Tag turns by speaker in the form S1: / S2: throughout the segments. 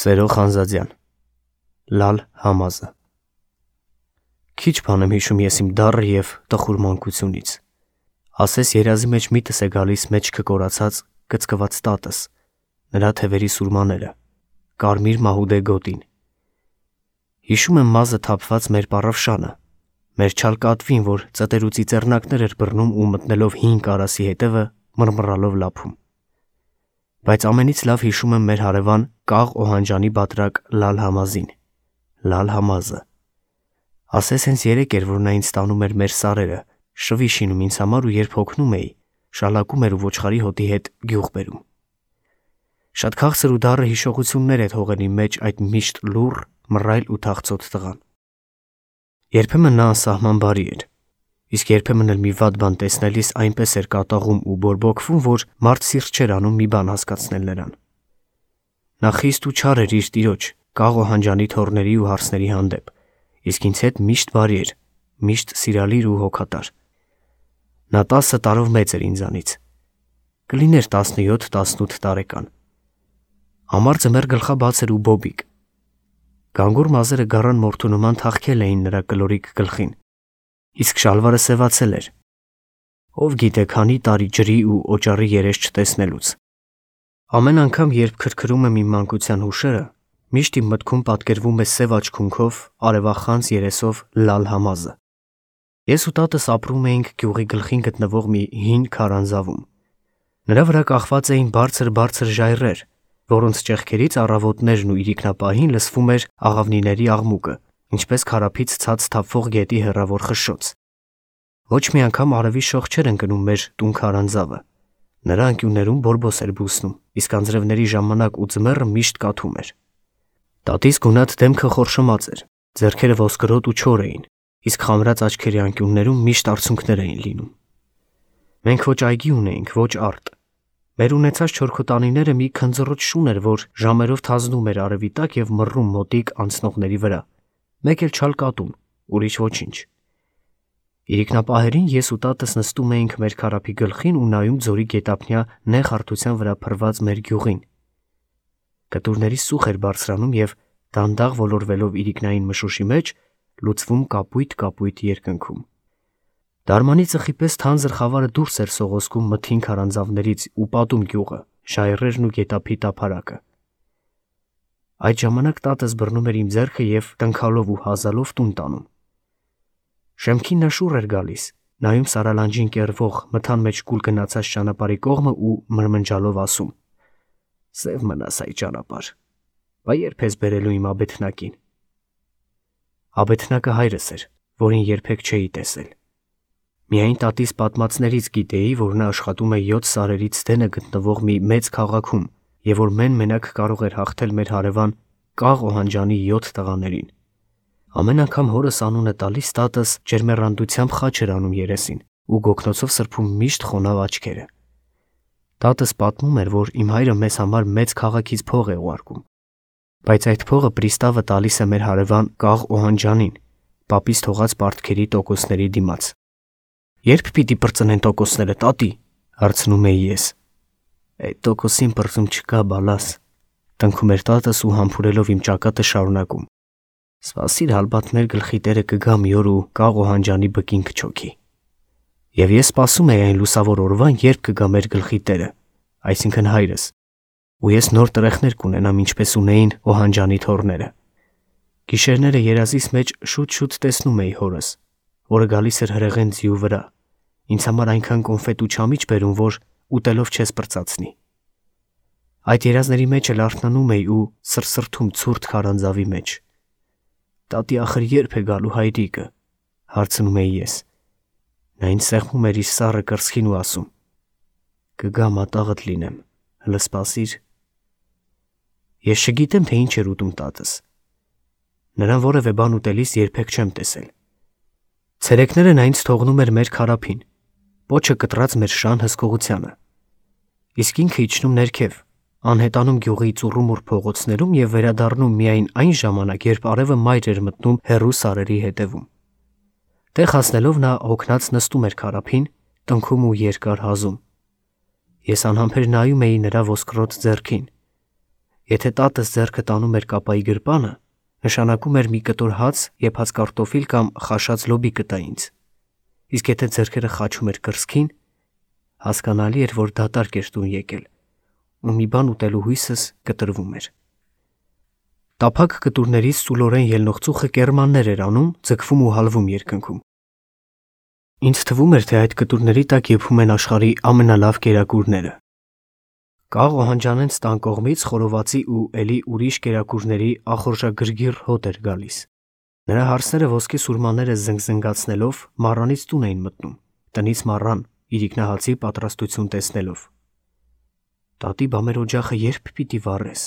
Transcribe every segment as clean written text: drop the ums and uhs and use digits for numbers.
S1: Սերո Խանզադյան, Լալ Համազը։ Քիչ բան եմ հիշում ես իմ դառը և տխուր մանկությունից։ Ասես երազի մեջ միտս է գալիս մեջքը կորացած, կծկված տատս, նրա թևերի սուրմաները, կարմիր մահուդե գոտին։ Հիշում եմ մազը թափված մեր պառավշանը, մեր չալ կատվին, որ ծտերուցի ծեռնակներ էր բռնում ու մտնելով հին կարասի հետևը մռմռալով լափում։ Բայց ամենից լավ հիշում եմ մեր հարևան Կաղ Օհանջանի բատրակ Լալ Համազին, Լալ Համազը։ Ասես հենց երեկ էր, որ նա ինձ տանում էր մեր սարերը, շվի շինում ինձ համար ու երբ հոգնում էի, շալակում էր ու ոչխարի հոտի հետ գյուղ բերում։ Շատ քաղցր ու դառը հիշողություններ է թողել իմ մեջ այդ միշտ լուռ, մռայլ ու թախծոտ տղան։ Երբեմն նա անսահման բարի էր, իսկ երբեմն էլ մի վատ բան տեսնելիս այնպես էր կատաղում ու բորբոքվում, որ մարդ սիրտ չէր անում մի բան հասկացնել նրան։ Նա խիստ ու չար էր իր տիրոջ, Կաղ Օհանջանի թոռների ու հարսների հանդեպ, իսկ ինձ հետ միշտ բարի էր, միշտ սիրալիր ու հոգատար։ Նա 10 տարով մեծ էր ինձանից, կլիներ 17-18 տարեկան։ Ամար ձմեռ գլխաբաց էր ու բոբիկ։ Գանգուր մազերը գառան մորթու նման թաղքել էին նրա կլորիկ գլխին, իսկ շալվարը սևացել էր։ Ով գիտե քանի տարի ջրի ու օճառի երես չտեսնելուց։ Ամեն անգամ, երբ քրքրում եմ իմ մանկության հուշերը, միշտ իմ մտքում պատկերվում է սև աչքունքով, արևախանձ երեսով Լալ Համազը։ Ես ու տատս ապրում էինք գյուղի գլխին գտնվող մի հին քարանձավում։ Նրա վրա կախված էին բարձր ժայռեր, որոնց ճեղքերից առավոտներն ու իրիկնապահին լսվում էր աղավնիների աղմուկը, ինչպես քարափից ցած թափվող գետի հեռավոր խշշոց։ Ոչ մի անգամ արևի շող չէր ընկնում մեր տուն քարանձավը։ Նրա անկյուններում բորբոս էր բուսնում, իսկ անձրևների ժամանակ ու ձմեռը միշտ կաթում էր։ Տատիս գունատ դեմքը խորշմած էր, ձեռքերը ոսկրոտ ու չոր էին, իսկ խամրած աչքերի անկյուններում միշտ արցունքներ էին լինում։ Մենք ոչ այգի ունեինք, ոչ արտ։ Մեր ունեցած չորքոտանիները մի քնձռոտ շուն էր, որ ժամերով թազնում էր արևի տակ և մռռում մոտիկ անցնողների վրա։ Մեկ էլ չալ կատուն, ուրիշ ոչինչ։ Իրիկնապահերին ես ու տատս նստում էինք մեր քարափի գլխին ու նայում ձորի գետափնյա նեղ հարթության վրա փռված մեր գյուղին։ Կտուրների սուխ էր բարձրանում և դանդաղ ոլորվելով իրիկնային մշուշի մեջ լուծվում կապույտ երկնքում։ Դարմանի ծխի պես թանձր խավարը դուրս էր սողոսկում մթին քարանձավներից ու պատում գյուղը, ժայռերն ու գետափի տափարակը։ Այդ ժամանակ տատս բռնում էր իմ ձեռքը և տնքալով ու հազալով տուն տանում։ Շեմքին նա շուռ էր գալիս, նայում սարալանջին կեռվող մթան մեջ կուլ գնացած ճանապարհի կողմը ու մրմնջալով ասում. «Սև մնաս այ ճանապարհ, բա երբ ես բերելու իմ աբեթնակին»։ Աբեթնակը հայրս էր, որին երբեք չէի տեսել։ Միայն տատիս պատմածներից գիտեի, որ նա աշխատում է 7 սարերից տենը գտնվող մի մեծ քաղաքում և որ մեն-մենակ կարող էր հաղթել մեր հարևան Կաղ Օհանջանի 7 տղաներին։ Ամեն անգամ հորս անունը տալիս տատս ջերմեռանդությամբ խաչ էր անում երեսին ու գոգնոցով սրբում միշտ խոնավ աչքերը։ Տատս պատմում էր, որ իմ հայրը մեզ համար մեծ քաղաքից փող է ուղարկում, բայց այդ փողը պրիստավը տալիս է մեր հարևան Կաղ Օհանջանին, պապից թողած պարտքերի տոկոսների դիմաց։ «Երբ պիտի պրծնեն տոկոսները, տատի»։ Հարցնում էի ես։ «Այդ տոկոսին պրծում չկա, բալաս», տնքում էր տատս ու համբուրելով իմ ճակատը շարունակում. «Սպասիր, հալբատ մեր գլխի տերը կգա մի օր ու Կաղ Օհանջանի բկին կչոքի»։ Եվ ես սպասում էի այն լուսավոր օրվան, երբ կգա մեր գլխի տերը, այսինքն հայրս, ու ես նոր տրեխներ կունենամ, ինչպես ունեին Օհանջանի թոռները։ Գիշերները երազիս մեջ շուտ-շուտ տեսնում էի հորս, որը գալիս էր հրեղեն ձիու վրա, ինձ համար այնքան կոնֆետ ու չամիչ բերում, որ ուտելով չես պրծացնի։ Այդ երազների մեջ էլ արթնանում էի ու սրսրթում ցուրտ քարանձավի մեջ։ «Տատի ախր երբ է գալու հայրիկը»։ Հարցնում էի ես։ Նա ինձ սեղմում էր իր սառը կրծքին ու ասում. «Կգա մատաղդ լինեմ, հլը սպասիր»։ Ես չգիտեմ, թե ինչ էր ուտում տատս։ Նրան որևէ բան ուտելիս երբեք չեմ տեսել։ Ցերեկները նա ինձ թողնում էր մեր քարափին, պոչը կտրած մեր շան հսկողությանը, իսկ ինքը իջնում ներքև, անհետանում գյուղի ծուռումուռ փողոցներում և վերադառնում միայն այն ժամանակ, երբ արևը մայր էր մտնում հեռու սարերի հետևում։ Տեղ հասնելով նա հոգնած նստում էր քարափին, տնքում ու երկար հազում։ Ես անհամբեր նայում էի նրա ոսկրոտ ձեռքին։ Եթե տատս ձեռքը տանում էր կապայի գրպանը, նշանակում էր մի կտոր հաց, եփած կարտոֆիլ կամ խաշած լոբի կտա ինձ։ Իսկ եթե ձեռքերը խաչում էր կրծքին, հասկանալի էր, որ դատարկ էր տուն եկել, ու մի բան ուտելու հույսս կտրվում էր։ Տափակ կտուրներից ծուլորեն ելնող ծուխը կերմաններ էր անում, ձգվում ու հալվում երկնքում։ Ինձ թվում էր, թե այդ կտուրների տակ եփում են աշխարհի ամենալավ կերակուրները։ Կաղ օհանջանենց տան կողմից խորովածի ու էլի ուրիշ կերակուրների ախորժագրգիռ հոտ էր գալիս։ Նրա հարսները ոսկե սուրմաները զնգզնգացնելով մառանից տուն էին մտնում, տնից մառան, իրիկնահացի պատրաստություն տեսնելով։ Տատի, բա մեր օջախը երբ պիտի վառես։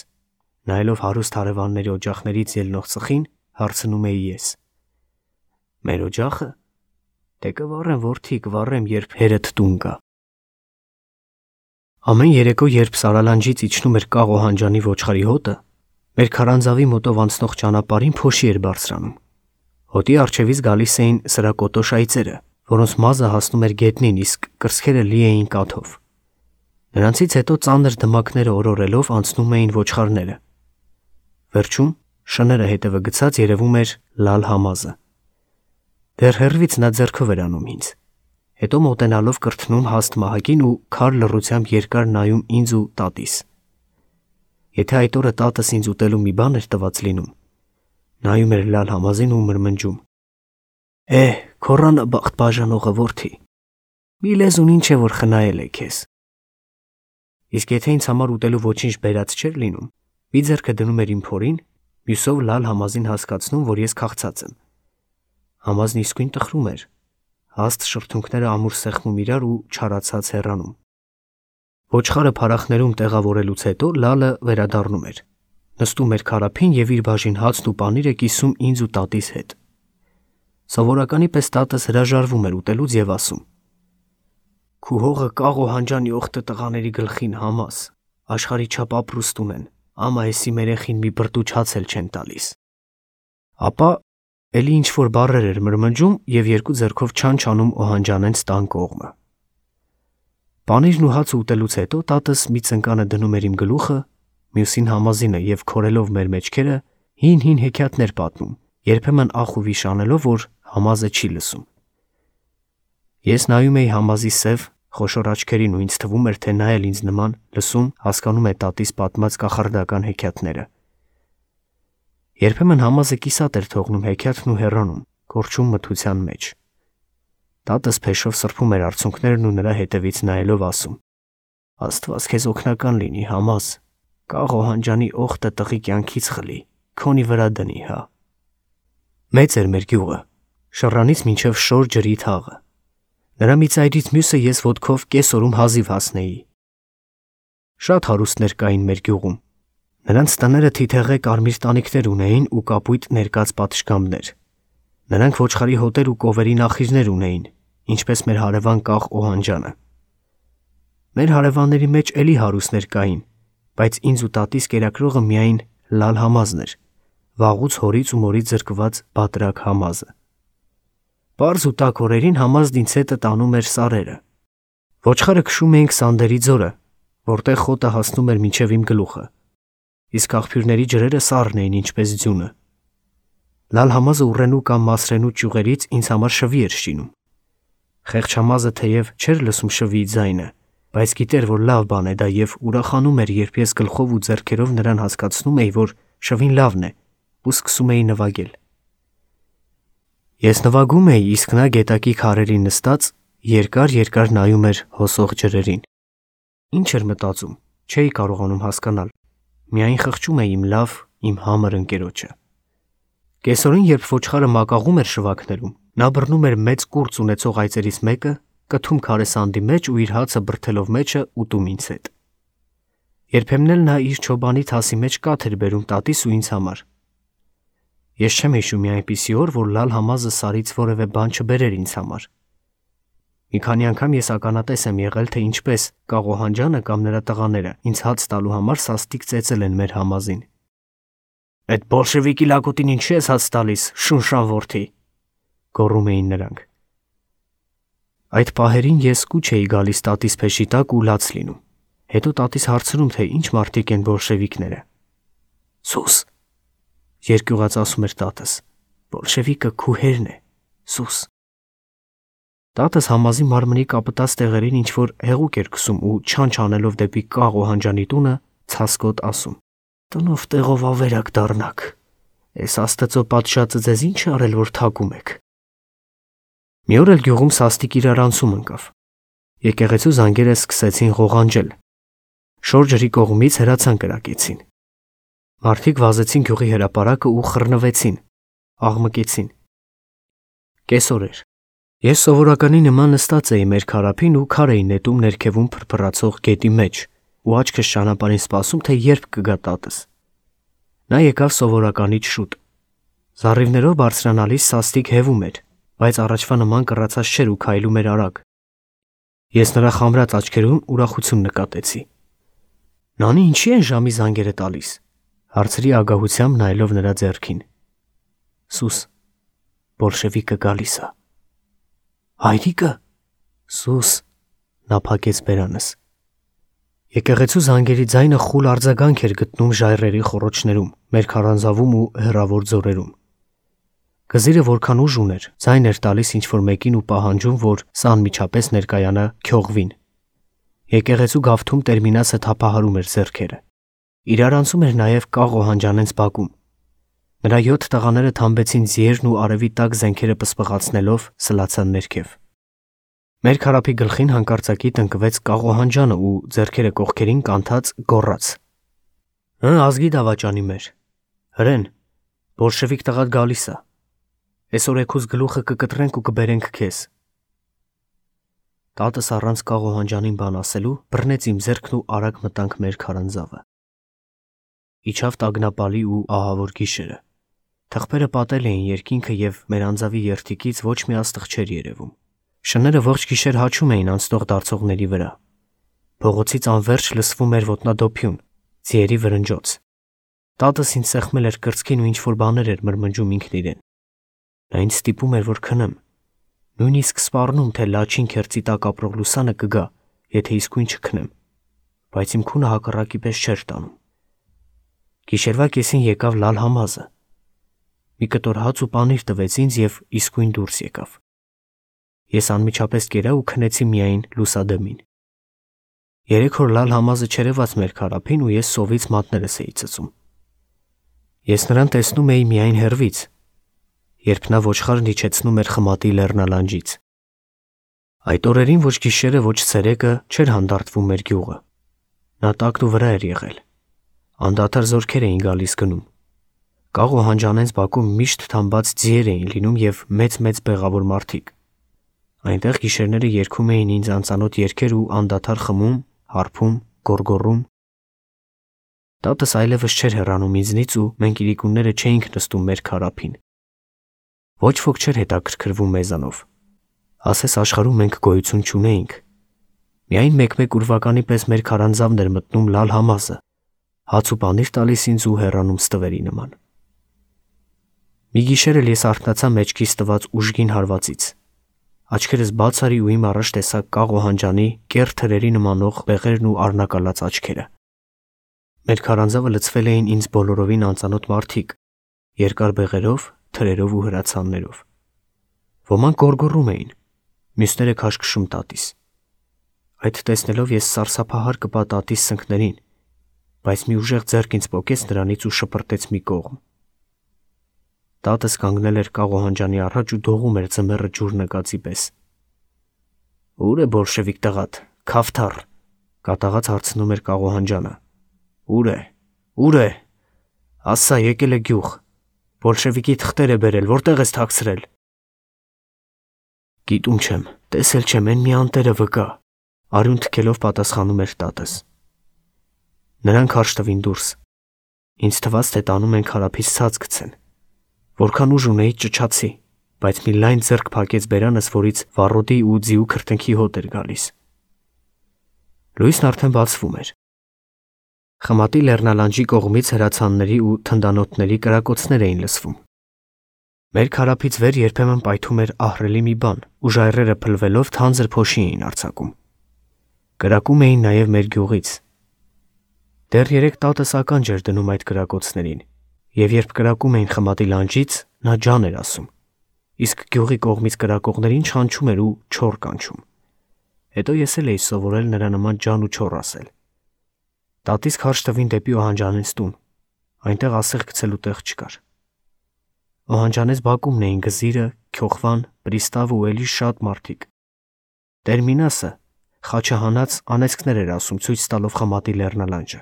S1: Նայելով հարուստ հարևանների օջախներից ելնող ծխին, հարցնում էի ես։ Մեր օջախը։ Դե կվառեմ, որդի, կվառեմ, երբ հերդ տուն գա։ Ամեն երեկո, երբ Սարալանջից իջնում էր կաղ օհանջանի ոչխարի հոտը, մեր քարանձավի մոտով անցնող ճանապարհին փոշի էր բարձրանում։ Հոտի առջևից գալիս էին սրակոտոշ այծերը, որոնց մազը հասնում էր գետնին, իսկ կրծքերը լի էին կաթով։ Նրանցից հետո ծանր դմակները օրորելով անցնում էին ոչխարները։ Վերջում շները հետևը գցած երևում էր լալ համազը։ Դեռ հեռվից նա ձեռքով էր անում ինձ։ Հետո մոտենալով կրթնում հաստ մահակին ու քար լռությամբ երկար նայում ինձ ու տատիս։ Եթե այդ օրը տատս ինձ ուտելու մի բան էր տված լինում, նայում էր լալ համազին ու մրմնջում. քորանը բախտ բաժանողը, որդի, մի լեզուն ինչ է որ խնայել է քեզ։ Իսկ եթե ինձ համար ուտելու ոչինչ բերած չէր լինում, մի ձեռքը դնում էր իմ փորին, մյուսով լալ համազին հասկացնում, որ ես քաղցած եմ։ Համազն իսկույն տխրում էր, հաստ շրթունքները ամուր սեղմում իրար ու չարացած հեռանում։ Ոչխարը փարախներում տեղավորելուց հետո լալը վերադառնում էր, նստում էր քարափին եւ իր բաժին հացն ու պանիրը կիսում ինձ ու տատիս հետ։ Սովորականի պես տատս հրաժարվում էր ուտելուց եւ ասում. Քու հողը կաղ օհանջանի օխտը տղաների գլխին համաս, աշխարհի չափ ապրուստ ունեն, ամա էսի երեխին մի բրտուճ հաց էլ չեն տալիս։ Ապա էլի ինչ որ բառեր էր մրմնջում եւ երկու ձեռքով չան-չանում օհանջանենց տան կողմը։ Պանիրն ու հացը ուտելուց հետո տատս մի ծնկանը դնում էր իմ գլուխը, մյուսին համազինը եւ քորելով մեր մեջքերը հին հեքիաթներ պատմում, երբեմն ախ ու վիշ անելով, որ համազը չի լսում։ Ես նայում էի համազի սև, խոշոր աչքերին ու ինձ թվում էր, թե նա էլ ինձ նման լսում, հասկանում է տատիս պատմած կախարդական հեքիաթները։ Երբեմն համազը կիսատ էր թողնում հեքիաթն ու հեռանում, կորչում մթության մեջ։ Տատս փեշով սրբում էր արցունքներն ու նրա հետևից նայելով ասում. Աստված քեզ օգնական լինի, համազ, կաղ օհանջանի օխտը տղի կյանքից խլի, քոնի վրա դնի, հա։ Մեծ էր մեր գյուղը, շռանից մինչև շոր ջրի թաղը։ Նրա մի ծայրից մյուսը ես ոտքով կես օրում հազիվ հասնեի։ Շատ հարուստներ կային մեր գյուղում։ Նրանց տները թիթեղե կարմիր տանիքներ ունեին ու կապույտ ներկած պատշգամբներ։ Նրանք ոչխարի հոտեր ու կովերի նախիրներ ունեին, ինչպես մեր հարևան կաղ օհանջանը։ Մեր հարևանների մեջ էլի հարուստներ կային, բայց ինձ ու տատիս կերակրողը միայն լալ համազն էր, վաղուց հորից ու մորից զրկված բատրակ համազը։ Պարզ ու տաք օրերին համազն ինձ հետը տանում էր սարերը։ Ոչխարը քշում էինք Սանդերի ձորը, որտեղ խոտը հասնում էր մինչև իմ գլուխը, իսկ աղբյուրների ջրերը սառն էին ինչպես ձյունը։ Լալ համազը ուռենու կամ մասրենու ճյուղերից ինձ համար շվի էր շինում։ Խեղճ համազը թեև չէր լսում շվիի ձայնը, բայց գիտեր, որ լավ բան է դա եւ ուրախանում էր, երբ ես գլխով ու ձեռքերով նրան հասկացնում էի, որ շվին լավն է, ու սկսում էի նվագել։ Ես նվագում էի, իսկ նա գետակի քարերին նստած երկար նայում էր հոսող ջրերին։ Ինչ էր մտածում, չէի կարողանում հասկանալ։ Միայն խղճում էի իմ լավ, իմ համր ընկերոջը։ Կեսօրին, երբ ոչխարը մակաղում էր շվակներում, նա բռնում էր մեծ կուրծ ունեցող այծերից մեկը, կթում քարեսանդի մեջ ու իր հացը բրթելով մեջը ուտում ինձ հետ։ Երբեմն էլ նա իր չոբանի թասի մեջ կաթ էր բերում տատիս ու ինձ համար։ Ես չեմ հիշում մի այնպիսի օր, որ լալ համազը սարից որևէ բան չբերեր ինձ համար։ Մի քանի անգամ ես ականատես եմ եղել, թե ինչպես կաղ օհանջանը կամ նրա տղաները ինձ հաց տալու համար սաստիկ ծեծել են մեր համազին։ Այդ բոլշևիկի լակոտին ինչի ես հաց տալիս, շունշան որդի, գոռում էին նրանք։ Այդ պահերին ես կուչ էի գալիս տատիս փեշի տակ ու լաց լինում։ Հետո տատիս հարցնում, թե ինչ մարդիկ են բոլշևիկները։ Սուս, երկյուղած ասում էր տատս, բոլշևիկը քու հերն է, սուս։ Տատս համազի մարմնի կապտած տեղերին ինչ-որ հեղուկ էր քսում ու չանչ անելով դեպի Կաղ Օհանջանի տունը, ցասկոտ ասում. «Տնով տեղով ավերակ դառնաք, էս աստծո պատշաճը ձեզ ինչ արել, որ թակում եք»։ Մի օր էլ գյուղում սաստիկ իրարանցում ընկավ։ Եկեղեցու զանգերը սկսեցին ղողանջել։ Շոր ջրի կողմից հրացան կրակեցին։ Մարդիկ վազեցին գյուղի հրապարակը ու խռնվեցին, աղմկեցին։ Կեսօր էր։ Ես սովորականի նման նստած էի մեր քարափին ու քար էի նետում ներքևում փրփրացող գետի մեջ ու աչքս ճանապարհին սպասում, թե երբ կգա տատս։ Նա եկավ սովորականից շուտ։ Զառիվներով բարձրանալիս սաստիկ հևում էր, բայց առաջվա նման կռացած չէր ու քայլում էր արագ։ Ես նրա խամրած աչքերում ուրախություն նկատեցի։ «Նանի ինչի են ժամի զանգերը տալիս», հարցրի ագահությամբ նայելով նրա ձեռքին։ «Սուս, բոլշևիկը գալիս է»։ «Հայրիկը»։ «Սուս», նա փակեց բերանս։ Եկեղեցու զանգերի ձայնը խուլ արձագանք էր գտնում ժայռերի խոռոչներում, մեր քարանձավում ու հեռավոր ձորերում։ Գզիրը որքան ուժ ուներ, ձայն էր տալիս ինչ-որ մեկին ու պահանջում, որ սա անմիջապես ներկայանա քյողվին։ Եկեղեցու գավթում Տերմինասը թափահարում էր ձեռքերը։ Իրարանցում էր նաև Կաղ Օհանջանենց բակում։ Նրա 7 տղաները թամբեցին ձիերն ու արևի տակ զենքերը պսպղացնելով սլացան ներքև։ Մեր քարափի գլխին հանկարծակի տնկվեց Կաղ Օհանջանը ու ձեռքերը կողքերին կանթած գոռաց. «Ազգի դավաճանի մեր, հրեն, բոլշևիկ տղատ գալիս է։ Էսօր էքուս գլուխը կկտրենք ու կբերենք քեզ»։ Տատս առանց Կաղ Օհանջանին բան ասելու բռնեց իմ ձեռքն ու արագ մտանք մեր քարանձավը։ Իջավ տագնապալի ու ահավոր գիշերը։ Թղթերը պատել էին երկինքը և մեր անձավի երդիկից ոչ մի աստղ չէր երևում։ Շները ողջ գիշեր հաչում էին անցնող դարձողների վրա։ Փողոցից անվերջ լսվում էր ոտնադոփյուն, ձիերի վրնջոց։ Տատս ինձ սեղմել էր կրծքին ու ինչ-որ բաներ էր մրմնջում ինքն իրեն։ Նա ինձ ստիպում էր, որ քնեմ։ Նույնիսկ սպառնում, թե լաչին քերծի տակ ապրող լուսանը կգա, եթե իսկույն չքնեմ, բայց իմ քունը հակառակի պես չէր տանում։ Գիշերվա կեսին եկավ Լալ Համազը։ Մի կտոր հաց ու պանիր տվեց ինձ և իսկույն դուրս եկավ։ Ես անմիջապես կերա ու քնեցի միայն լուսադեմին։ 3 օր Լալ Համազը չերևաց մեր քարափին ու ես սովից մատներս էի ծծում։ Ես նրան տեսնում էի միայն հեռվից, երբ նա ոչխարն իջեցնում էր խմատի լեռնալանջից։ Այդ օրերին ոչ գիշերը, ոչ ցերեկը չէր հանդարտվում մեր գյուղը։ Նա տակն ու վրա էր եղել։ Անդադար զորքեր էին գալիս գնում։ Կաղ Օհանջանենց բակում միշտ թամբած ձիեր էին լինում և մեծ բեղավոր մարդիկ։ Այնտեղ գիշերները երգում էին ինձ անծանոթ երգեր ու անդադար խմում, հարբում, գոռգոռում։ Տատս այլևս չէր հեռանում ինձնից ու մենք իրիկունները չէինք նստում մեր քարափին։ Ոչ ոք չէր հետաքրքրվում մեզանով։ Ասես աշխարհում մենք գոյություն չունեինք։ Միայն մեկ-մեկ ուրվականի պես մեր քարանձավն էր մտնում Լալ Համազը, հաց ու պանիր տալիս ինձ ու հեռանում ստվերի նման։ Մի գիշեր էլ ես արթնացա մեջքիս տված ուժգին հարվածից։ Աչքերս բաց արի ու իմ առաջ տեսա Կաղ Օհանջանի կեռ թրերի նմանող բեղերն ու առնակալած աչքերը։ Մեր քարանձավը լցվել էին ինձ բոլորովին անծանոթ մարդիկ, երկար բեղերով, թրերով ու հրացաններով։ Ոմանք գոռգոռում էին, մյուսները քաշքշում տատիս։ Այդ տեսնելով ես սարսափահար կպա տատիս սնկներին, բայց մի ուժեղ ձեռք ինձ պոկեց նրանից ու շպրտեց մի կողմ։ Տատս կանգնել էր Կաղ Օհանջանի առաջ ու դողում էր ձմեռը ջուր նկածի պես։ «Ուր է բոլշևիկ տղատ, քավթառ», կատաղած հարցնում էր Կաղ Օհանջանը։ «Ուր է, ուր է, ասա եկել է գյուղ, բոլշևիկի թղթեր է բերել, որտեղ ես թաքցրել»։ «Գիտում չեմ, տեսել չեմ, էն մի անտերը վկա», արյուն թքելով պատասխանում էր տատս։ Նրանք հարճ տվին դուրս։ Ինձ թվաց, թե տանում են քարափից ցած գցեն։ Որքան ուժ ունեի ճչացի, բայց մի լայն ձեռք փակեց բերանս, որից վառոդի ու ձիու քրտինքի հոտ էր գալիս։ Լույսն արդեն բացվում էր։ Խմատի լեռնալանջի կողմից հրացանների ու թնդանոթների կրակոցներ էին լսվում։ Մեր քարափից վեր երբեմն պայթում էր ահռելի մի բան, ու ժայռերը փլվելով թանձր փոշի էին արձակում։ Կրակում էին նաև մեր գյուղից։ Դեռ 3 տատս ականջ էր դնում այդ կրակոցներին, եւ երբ կրակում էին խմատի լանջից, նա ջան էր ասում, իսկ գյուղի կողմից կրակողներին չանչում էր ու չոր կանչում։ Հետո ես էլ էի սովորել նրա նման ջան ու չոր ասել։ Տատիս քարշ տվին դեպի Օհանջանենց տուն, այնտեղ ասեղ գցելու տեղ չկար։ Օհանջանենց բակումն էին Գզիրը, Քյոխվան, Պրիստավը ու էլի շատ մարդիկ։ Տերմինասը խաչը հանած անեծքներ էր ասում ցույց տալով խմատի լեռնալանջը։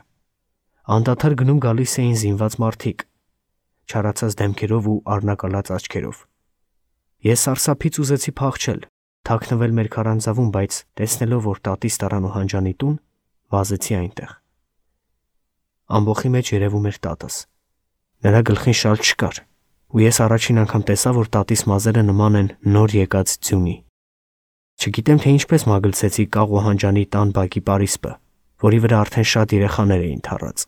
S1: Անդադար գնում գալիս էին զինված մարդիկ, չարացած դեմքերով ու առնակալած աչքերով։ Ես սարսափից ուզեցի փախչել, թաքնվել մեր քարանձավում, բայց տեսնելով, որ տատիս տարան Օհանջանի տուն, վազեցի այնտեղ։ Ամբոխի մեջ երևում էր տատս։ Նրա գլխին շալ չկար, ու ես առաջին անգամ տեսա, որ տատիս մազերը նման են նոր եկած ձյունի։ Չգիտեմ, թե ինչպես մագլցեցի կաղ Օհանջանի տան բակի պարիսպը, որի վրա արդեն շատ երեխաներ էին թռած։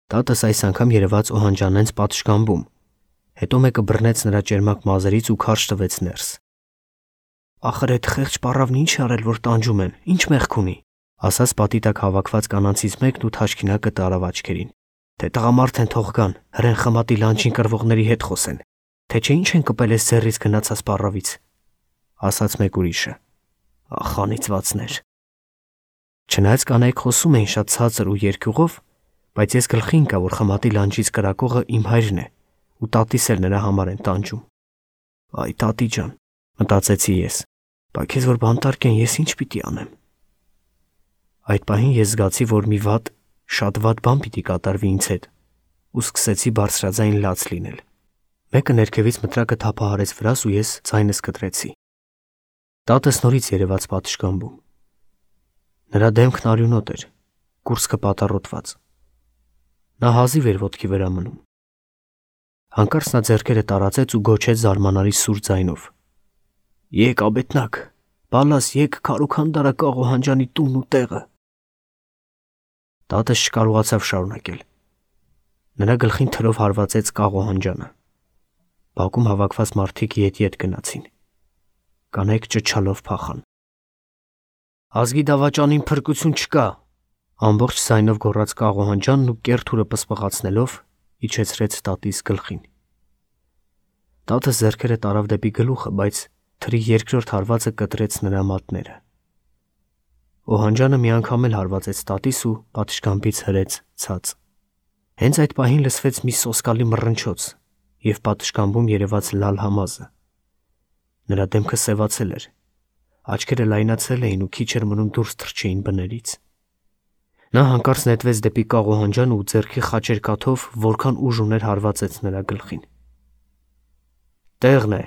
S1: Տատս այս անգամ երևաց Օհանջանենց պատշգամբում, հետո մեկը բռնեց նրա ճերմակ մազերից ու քարշ տվեց ներս։ Ախր այդ խեղճ պառավն ինչ արել, որ տանջում են, ինչ մեղք ունի, ասաց պատի տակ հավաքված կանանցից մեկն ու թաշկինակը տարավ աչքերին։ Թե տղամարդ են թող գան, հրեն խմատի լանջին կռվողների հետ խոսեն, թե չէ ինչ են կպել այս ձեռից գնացած պառավից, ասաց մեկ ուրիշը։ Ախ, անիծվածներ։ Չնայած կանայք խոսում էին շատ ցածր ու երկյուղով, բայց ես գլխի ընկա, որ խմատի լանջից կրակողը իմ հայրն է, ու տատիս էլ նրա համար են տանջում։ Այ տատի ջան, մտածեցի ես, բա քեզ որ բանտարկ են, ես ինչ պիտի անեմ։ Այդ պահին ես զգացի, որ մի վատ, շատ վատ բան պիտի կատարվի ինձ հետ, ու սկսեցի բարձրաձայն լաց լինել։ Մեկը ներքևից մտրակը թափահարեց վրաս ու ես ձայնս կտրեցի։ Տատս նորից երևաց պատշգամբում։ Նրա դեմքն արյունոտ էր, կուրծքը պատառոտված։ Նա հազիվ էր ոտքի վրա մնում։ Հանկարծ նա ձեռքերը տարածեց ու գոչեց զարմանալի սուր ձայնով. Եկ աբետնակ, բալաս եկ քարուքանդարա կաղ Օհանջանի տունն ու տեղը։ Տատս չկարողացավ շարունակել։ Նրա գլխին թրով հարվածեց կաղ Օհանջանը։ Բակում հավաքված մարդիկ ետ գնացին։ Կանայք ճչալով փախան։ Ազգի դավաճանին փրկություն չկա, ամբողջ ձայնով գոռաց կաղ Օհանջանն ու կեռ-թուրը պսպղացնելով իջեցրեց տատիս գլխին։ Տատս ձեռքերը տարավ դեպի գլուխը, բայց թրի երկրորդ հարվածը կտրեց նրա մատները։ Օհանջանը մի անգամ էլ հարվածեց տատիս ու պատշգամբից հրեց ցած։ Հենց այդ պահին լսվեց մի սոսկալի մռնչոց և պատշգամբում երևաց Լալ Համազը։ Նրա դեմքը սևացել էր, աչքերը լայնացել էին ու քիչ էր մնում դուրս թռչեին բներից։ Նա հանկարծ նետվեց դեպի կաղ Օհանջանը ու ձեռքի խաչեր կաթով, որքան ուժ ուներ հարվածեց նրա գլխին։ Տեղն է,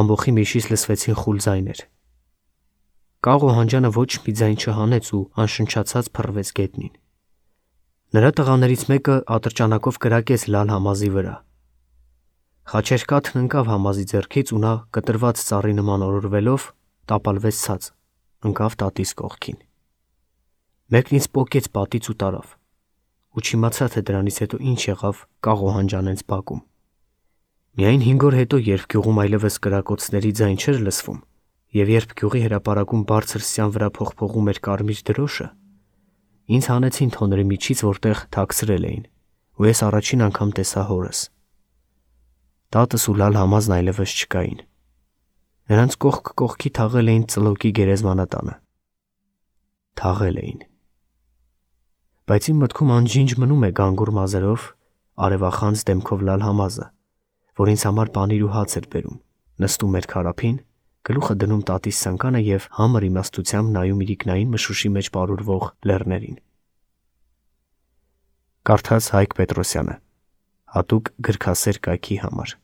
S1: ամբոխի միջից լսվեցին խուլ ձայներ։ Կաղ Օհանջանը ոչ մի ձայն չհանեց ու անշնչացած փռվեց գետնին։ Նրա տղաներից մեկը ատրճանակով կրակեց Լալ Համազի վրա։ Խաչերկաթն ընկավ Համազի ձեռքից ու նա կտրված ծառի նման օրորվելով տապալվեց ցած, ընկավ տատիս կողքին։ Մեկն ինձ պոկեց պատից ու տարավ, ու չիմացա, թե դրանից հետո ինչ եղավ կաղ Օհանջանենց բակում։ Միայն 5 օր հետո, երբ գյուղում այլևս կրակոցների ձայն չէր լսվում, և երբ գյուղի հրապարակում բարձր սյան վրա փողփողում էր կարմիր դրոշը, ինձ հանեցին թոնրի միջից, որտեղ թաքցրել էին, ու ես առաջին անգամ տեսա հորս։ Տատս ու Լալ Համազն այլևս չկային։ Նրանց կողք կողքի թաղել էին ծլոկի գերեզմանատանը։ Թաղել էին։ Բայց իմ մտքում անջինջ մնում է գանգուր մազերով, արևախանձ դեմքով Լալ Համազը, որ ինձ համար պանիր ու հաց էր բերում, նստում էր քարափին, գլուխը դնում տատիս սանկանը և համր իմաստությամբ նայում իրիկնային մշուշի մեջ պարուրվող լեռներին։ Կարդաց Հայկ Պետրոսյանը, հատուկ գրքասեր կայքի համար։